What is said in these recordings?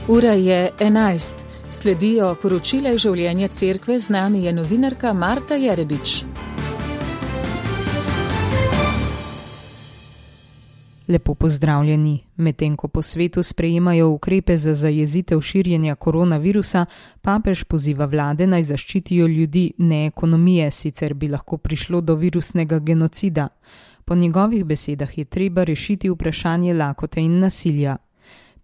Ura je 11. Sledijo poročila življenja cerkve, z nami je novinarka Marta Jerebič. Lepo pozdravljeni. Medtem ko po svetu sprejemajo ukrepe za zajezitev širjenja koronavirusa, papež poziva vlade naj zaščitijo ljudi, ne ekonomije, sicer bi lahko prišlo do virusnega genocida. Po njegovih besedah je treba rešiti vprašanje lakote in nasilja.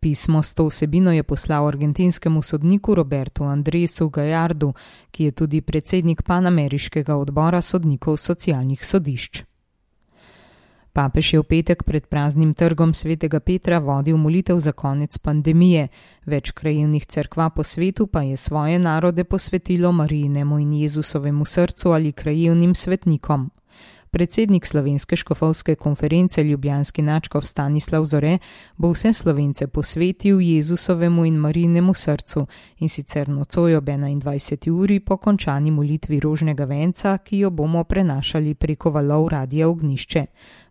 Pismo s to vsebino je poslal argentinskemu sodniku Robertu Andresu Gallardu, ki je tudi predsednik panameriškega odbora sodnikov socialnih sodišč. Papež je v petek pred praznim trgom Svetega Petra vodil molitev za konec pandemije. Več krajevnih cerkva po svetu pa je svoje narode posvetilo Marijinemu in Jezusovemu srcu ali krajevnim svetnikom. Predsednik Slovenske škofovske konference ljubljanski nadškof Stanislav Zore bo vse Slovence posvetil Jezusovemu in Marijinemu srcu, in sicer nocoj ob 21. uri po končani molitvi rožnega venca, ki jo bomo prenašali preko valov Radia Ognjišče.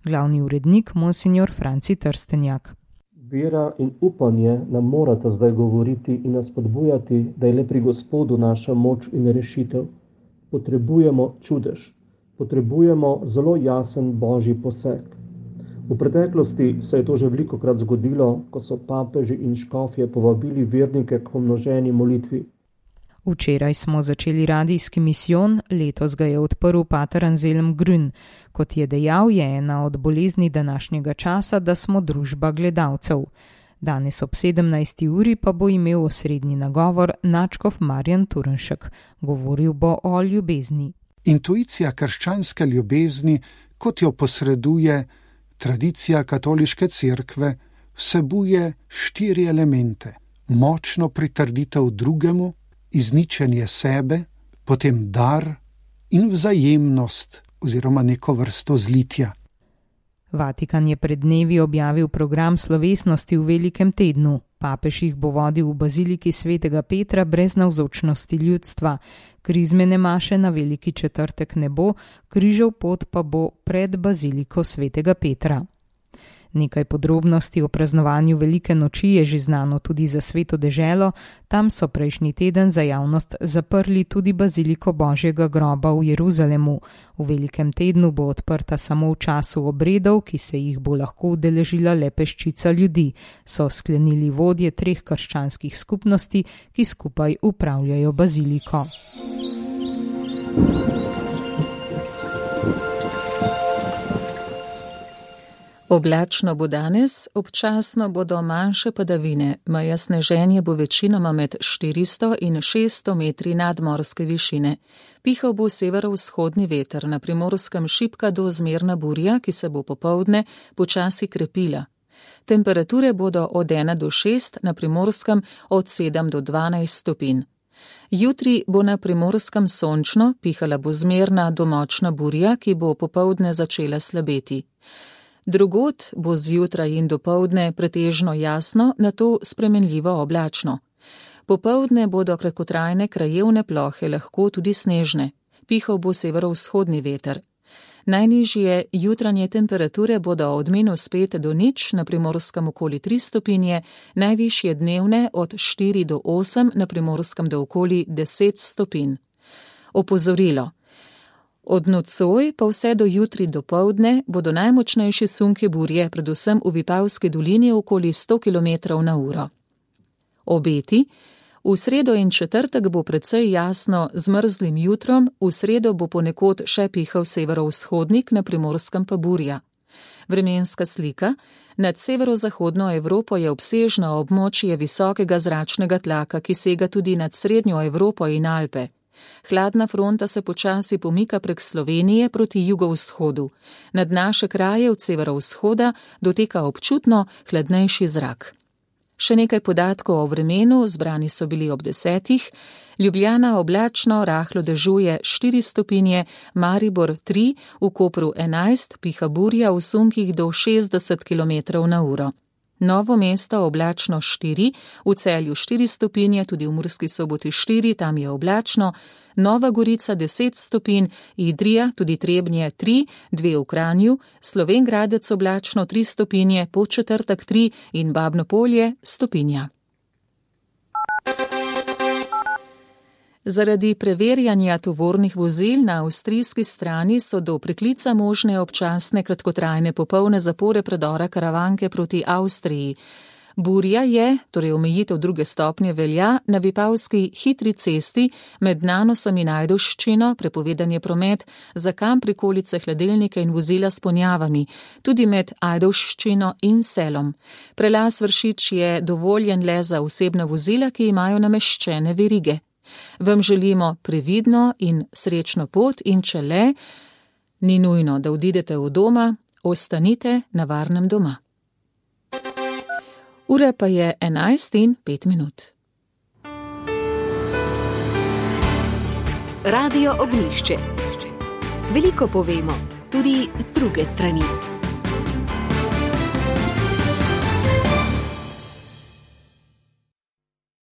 Glavni urednik monsignor Franci Trstenjak. Vera in upanje nam morata zdaj govoriti in nas spodbujati, da je le pri Gospodu naša moč in rešitev. Potrebujemo čudež. Potrebujemo zelo jasen božji poseg. V preteklosti se je to že velikokrat zgodilo, ko so papeži in škofje povabili vernike k pomnoženi molitvi. Včeraj smo začeli radijski misijon, letos ga je odprl pater Anselm Grün. Kot je dejal, je ena od bolezni današnjega časa, da smo družba gledalcev. Danes ob 17. uri pa bo imel osrednji nagovor nadškof Marjan Turnšek. Govoril bo o ljubezni. Intuicija krščanske ljubezni, kot jo posreduje tradicija katoliške cerkve, vsebuje 4 elemente. Močno pritrditev drugemu, izničenje sebe, potem dar in vzajemnost oziroma neko vrsto zlitja. Vatikan je pred dnevi objavil program slovesnosti v velikem tednu. Papež jih bo vodil v baziliki Svetega Petra brez navzočnosti ljudstva. Krizmene maše na veliki četrtek ne bo, križev pot pa bo pred baziliko Svetega Petra. Nekaj podrobnosti o praznovanju velike noči je že znano tudi za Sveto deželo. Tam so prejšnji teden za javnost zaprli tudi baziliko Božjega groba v Jeruzalemu. V velikem tednu bo odprta samo v času obredov, ki se jih bo lahko udeležila le peščica ljudi, so sklenili vodje 3 krščanskih skupnosti, ki skupaj upravljajo baziliko. Oblačno bo danes, občasno bodo manjše padavine, meja sneženja bo večinoma med 400 in 600 metri nadmorske višine. Pihal bo severovzhodni veter, na Primorskem šibka do zmerna burja, ki se bo popoldne počasi krepila. Temperature bodo od 1 do 6, na Primorskem od 7 do 12 stopinj. Jutri bo na Primorskem sončno, pihala bo zmerna do močna burja, ki bo popoldne začela slabeti. Drugod bo zjutraj in dopoldne pretežno jasno, nato spremenljivo oblačno. Popoldne bodo kratkotrajne krajevne plohe lahko tudi snežne. Pihal bo severovzhodni veter. Najnižje jutranje temperature bodo od -5 do 0, na Primorskem okoli 3 stopinje, najvišje dnevne od 4 do 8, na Primorskem do okoli 10 stopinj. Opozorilo. Od nocoj pa vse do jutri dopoldne bodo najmočnejši sunki burje, predvsem v Vipavski dolini okoli 100 km/h. Obeti. V sredo in četrtek bo precej jasno z mrzlim jutrom, v sredo bo ponekod še pihal severovzhodnik, na Primorskem pa burja. Vremenska slika. Nad severozahodno Evropo je obsežno območje visokega zračnega tlaka, ki sega tudi nad srednjo Evropo in Alpe. Hladna fronta se počasi pomika prek Slovenije proti jugovzhodu. Nad naše kraje od severovzhoda doteka občutno hladnejši zrak. Še nekaj podatkov o vremenu, zbrani so bili ob 10. Ljubljana oblačno, rahlo dežuje 4 stopinje, Maribor 3, v Kopru 11, piha burja v sunkih do 60 km/h. Novo mesto oblačno 4, v Celju 4 stopinje, tudi v Murski Soboti 4, tam je oblačno, Nova Gorica 10 stopinj, Idrija, tudi Trebnje 3, 2 v Kranju, Slovenj Gradec oblačno 3 stopinje, Podčetrtek 3 in Babno Polje stopinja. Zaradi preverjanja tovornih vozil na avstrijski strani so do preklica možne občasne kratkotrajne popolne zapore predora Karavanke proti Avstriji. Burja je, torej omejitev 2. stopnje velja, na Vipavski hitri cesti med Nanosom in Ajdovščino, prepovedan je promet za kamp, prikolice, hladilnike in vozila s ponjavami, tudi med Ajdovščino in Selom. Prelaz Vršič je dovoljen le za osebna vozila, ki imajo nameščene verige. Vam želimo previdno in srečno pot in če le, ni nujno, da odidete od doma, ostanite na varnem doma. Ura pa je 11:05. Radio Ognjišče. Veliko povemo, tudi z druge strani.